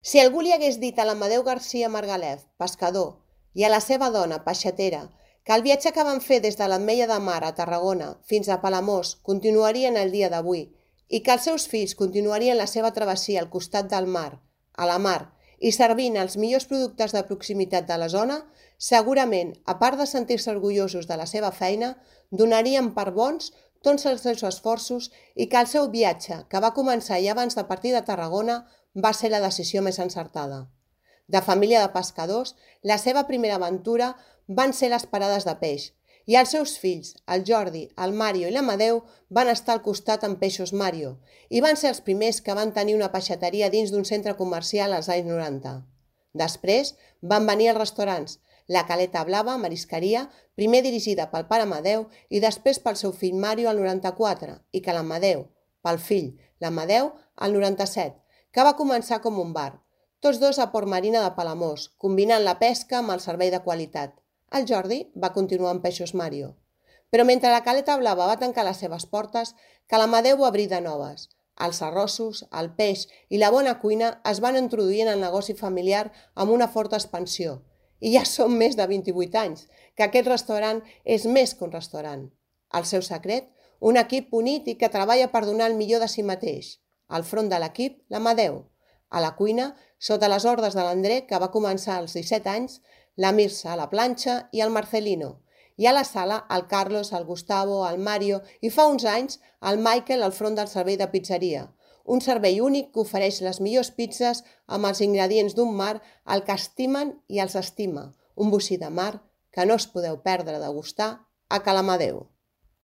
Si algú li hagués dit a l'Amadeu García Margalef, pescador, i a la seva dona, peixatera, que el viatge que van fer des de l'Ametlla de Mar a Tarragona fins a Palamós continuarien el dia d'avui i que els seus fills continuarien la seva travessia al costat del mar, a la mar, i servint els millors productes de proximitat de la zona, segurament, a part de sentir-se orgullosos de la seva feina, donarien per bons tots els seus esforços i que el seu viatge, que va començar ja abans de partir de Tarragona, va ser la decisió més encertada. De família de pescadors, la seva primera aventura van ser les parades de peix, i els seus fills, el Jordi, el Mario i l'Amadeu, van estar al costat amb Peixos Mario, i van ser els primers que van tenir una peixateria dins d'un centre comercial als anys 90. Després van venir els restaurants, la Caleta Blava, marisqueria, primer dirigida pel pare Amadeu i després pel seu fill Mario al 94, i que l'Amadeu, pel fill, l'Amadeu, al 97, que va començar com un bar, tots dos a Port Marina de Palamós, combinant la pesca amb el servei de qualitat. El Jordi va continuar amb Peixos Mario. Però mentre la Caleta Blava va tancar les seves portes, que l'Amadeu va obrir de noves. Els arrossos, el peix i la bona cuina es van introduir en el negoci familiar amb una forta expansió. I ja són més de 28 anys, que aquest restaurant és més que un restaurant. El seu secret? Un equip unit i que treballa per donar el millor de si mateix. Al front de l'equip, l'Amadeu. A la cuina, sota les ordres de l'André, que va començar als 17 anys, la Mirsa a la planxa i el Marcelino. I a la sala, el Carlos, el Gustavo, el Mario i fa uns anys el Michael al front del servei de pizzeria. Un servei únic que ofereix les millors pizzas amb els ingredients d'un mar al que estimen i els estima. Un bocí de mar que no us podeu perdre de gustar a Ca l'Amadeu.